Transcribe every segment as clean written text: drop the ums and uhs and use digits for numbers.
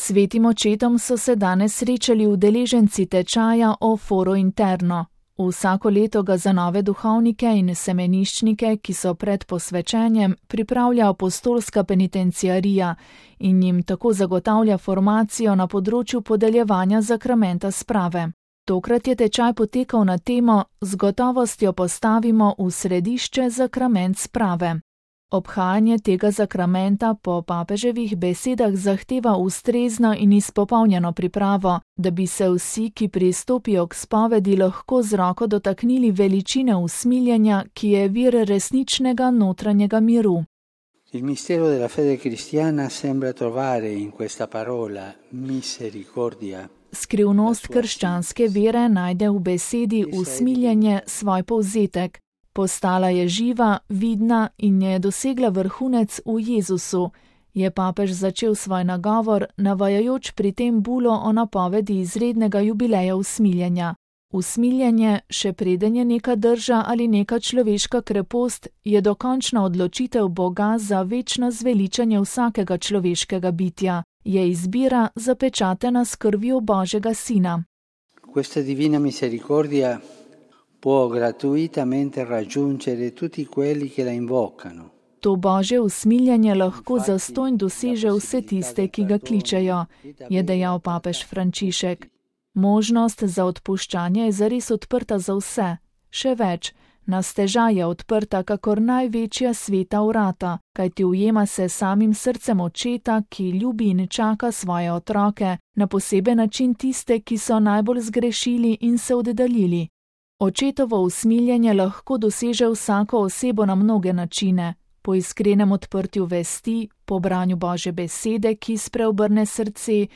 Svetim očetom so se danes srečali udeleženci tečaja o Foro Interno. Vsako leto ga za nove duhovnike in semeniščnike, ki so pred posvečenjem, pripravlja apostolska penitenciarija in jim tako zagotavlja formacijo na področju podeljevanja zakramenta sprave. Tokrat je tečaj potekal na temo Z gotovostjo postavimo v središče zakrament sprave. Obhajanje tega zakramenta po papeževih besedah zahteva ustrezno in izpopolnjeno pripravo, da bi se vsi, ki pristopijo k spovedi, lahko z roko dotaknili veličine usmiljenja, ki je vir resničnega notranjega miru. Il mistero della fede cristiana sembra trovare in questa parola misericordia. Skrivnost krščanske vere najde v besedi usmiljenje svoj povzetek. Postala je živa, vidna in je dosegla vrhunec v Jezusu, je papež začel svoj nagovor, navajajoč pri tem bulo o napovedi izrednega jubileja usmiljenja. Usmiljenje, še preden je neka drža ali neka človeška krepost, je dokončna odločitev Boga za večno zveličanje vsakega človeškega bitja, je izbira zapečatena s krvjo Božjega Sina. Questa divina misericordia può gratuitamente raggiungere tutti quelli che la invocano. To Božje usmiljenje lahko zastonj doseže vse tiste, ki ga kličejo, je dejal papež Frančišek. Možnost za odpuščanje je zares odprta za vse. Še več, na stežaj je odprta kakor največja sveta vrata, kajti ujema se samim srcem očeta, ki ljubi in čaka svoje otroke, na poseben način tiste, ki so najbolj zgrešili in se oddaljili. Očetovo usmiljenje lahko doseže vsako osebo na mnoge načine, po iskrenem odprtju vesti, po branju Božje besede, ki spreobrne srce,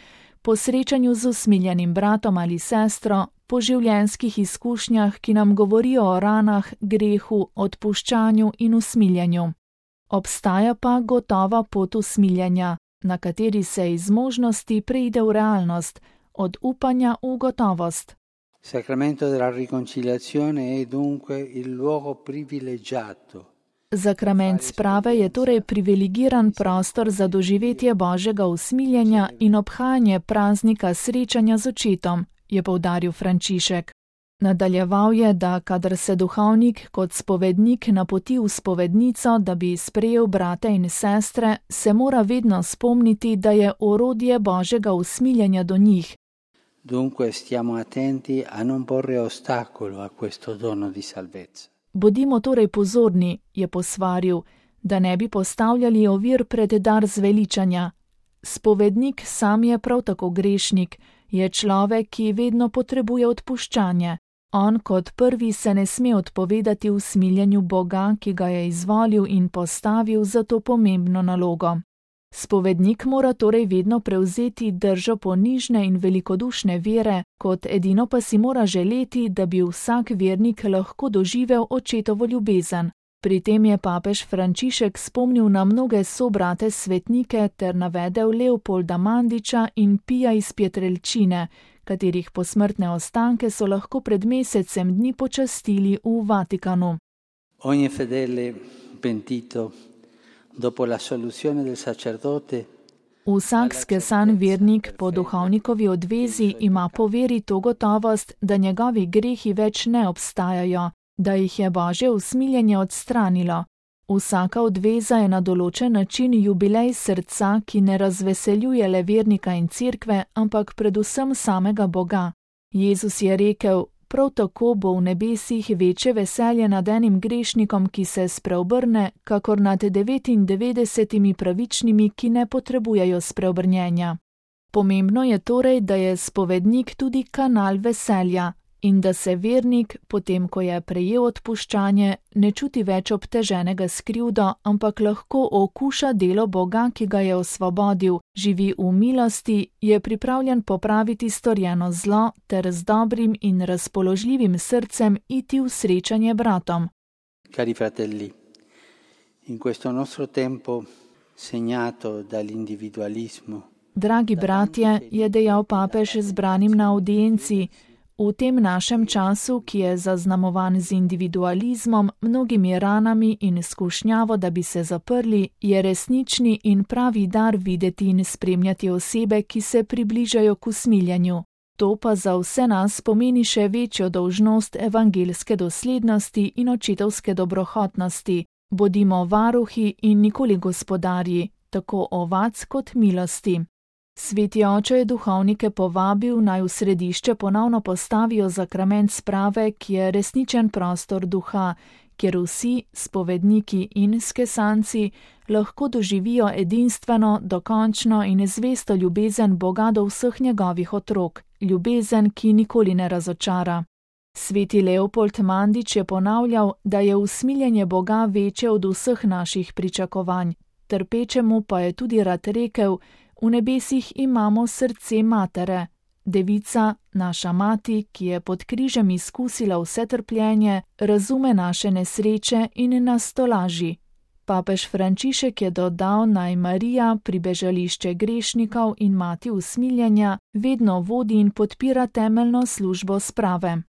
po srečanju z usmiljenim bratom ali sestro, po življenjskih izkušnjah, ki nam govorijo o ranah, grehu, odpuščanju in usmiljenju. Obstaja pa gotova pot usmiljenja, na kateri se iz možnosti preide v realnost, od upanja v gotovost. Sacramento della riconciliazione è dunque il luogo privilegiato. Zakrament sprave je torej privilegiran prostor za doživetje Božjega usmiljenja in obhajanje praznika srečanja z očetom, je poudaril Frančišek. Nadaljeval je, da kadar se duhovnik kot spovednik napoti v spovednico, da bi sprejel brate in sestre, se mora vedno spomniti, da je orodje Božjega usmiljenja do njih. Dunque stiamo attenti a non porre ostacolo a questo dono di salvezza. Bodimo torej pozorni, je posvaril, da ne bi postavljali ovir pred dar zveličanja. Spovednik sam je prav tako grešnik, je človek, ki vedno potrebuje odpuščanje. On kot prvi se ne sme odpovedati usmiljenju Boga, ki ga je izvolil in postavil za to pomembno nalogo. Spovednik mora torej vedno prevzeti držo ponižne in velikodušne vere, kot edino pa si mora želeti, da bi vsak vernik lahko doživel očetovo ljubezen. Pri tem je papež Frančišek spomnil na mnoge sobrate svetnike ter navedel Leopolda Mandiča in Pija iz Pietrelcine, katerih posmrtne ostanke so lahko pred mesecem dni počastili v Vatikanu. Ogni fedele pentito dopo la soluzione del sacerdote. Vsak skesan vernik po duhovnikovi odvezi ima po veri to gotovost, da njegovi grehi več ne obstajajo, da jih je Božje usmiljenje odstranilo. Vsaka odveza je na določen način jubilej srca, ki ne razveseljuje le vernika in cerkve, ampak predvsem samega Boga. Jezus je rekel: prav tako bo v nebesih večje veselje nad enim grešnikom, ki se spreobrne, kakor nad 99 pravičnimi, ki ne potrebujejo spreobrnjenja. Pomembno je torej, da je spovednik tudi kanal veselja in da se vernik, potem ko je prejel odpuščanje, ne čuti več obteženega s krivdo, ampak lahko okuša delo Boga, ki ga je osvobodil, živi v milosti, je pripravljen popraviti storjeno zlo ter z dobrim in razpoložljivim srcem iti v srečanje bratom. Cari fratelli, in questo nostro tempo segnato dall'individualismo. Dragi bratje, je dejal papež zbranim na audienci, V tem našem času, ki je zaznamovan z individualizmom, mnogimi ranami in skušnjavo, da bi se zaprli, je resnični in pravi dar videti in spremljati osebe, ki se približajo k usmiljenju. To pa za vse nas pomeni še večjo dolžnost evangeljske doslednosti in očetovske dobrohotnosti. Bodimo varuhi in nikoli gospodarji, tako ovac kot milosti. Sveti oče je duhovnike povabil, naj v središče ponovno postavijo zakrament sprave, ki je resničen prostor duha, kjer vsi, spovedniki in skesanci, lahko doživijo edinstveno, dokončno in zvesto ljubezen Boga do vseh njegovih otrok, ljubezen, ki nikoli ne razočara. Sveti Leopold Mandič je ponavljal, da je usmiljenje Boga večje od vseh naših pričakovanj, trpečemu pa je tudi rad rekel: v nebesih imamo srce matere. Devica, naša mati, ki je pod križem izkusila vse trpljenje, razume naše nesreče in nas tolaži. Papež Frančišek je dodal, naj Marija, pribežališče grešnikov in mati usmiljenja, vedno vodi in podpira temeljno službo sprave.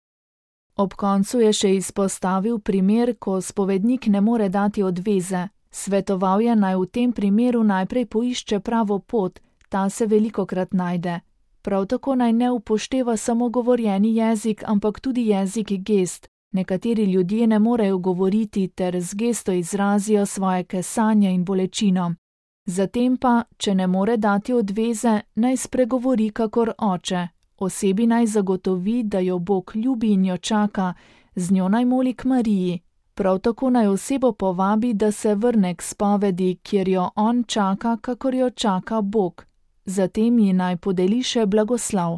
Ob koncu je še izpostavil primer, ko spovednik ne more dati odveze. Svetoval je, naj v tem primeru najprej poišče pravo pot, ta se velikokrat najde. Prav tako naj ne upošteva samo govorjeni jezik, ampak tudi jezik gest. Nekateri ljudje ne morejo govoriti ter z gesto izrazijo svoje kesanje in bolečino. Zatem pa, če ne more dati odveze, naj spregovori kakor oče. Osebi naj zagotovi, da jo Bog ljubi in jo čaka, z njo naj moli k Mariji. Prav tako naj osebo povabi, da se vrne k spovedi, kjer jo on čaka, kakor jo čaka Bog. Zatem ji naj podeli še blagoslov.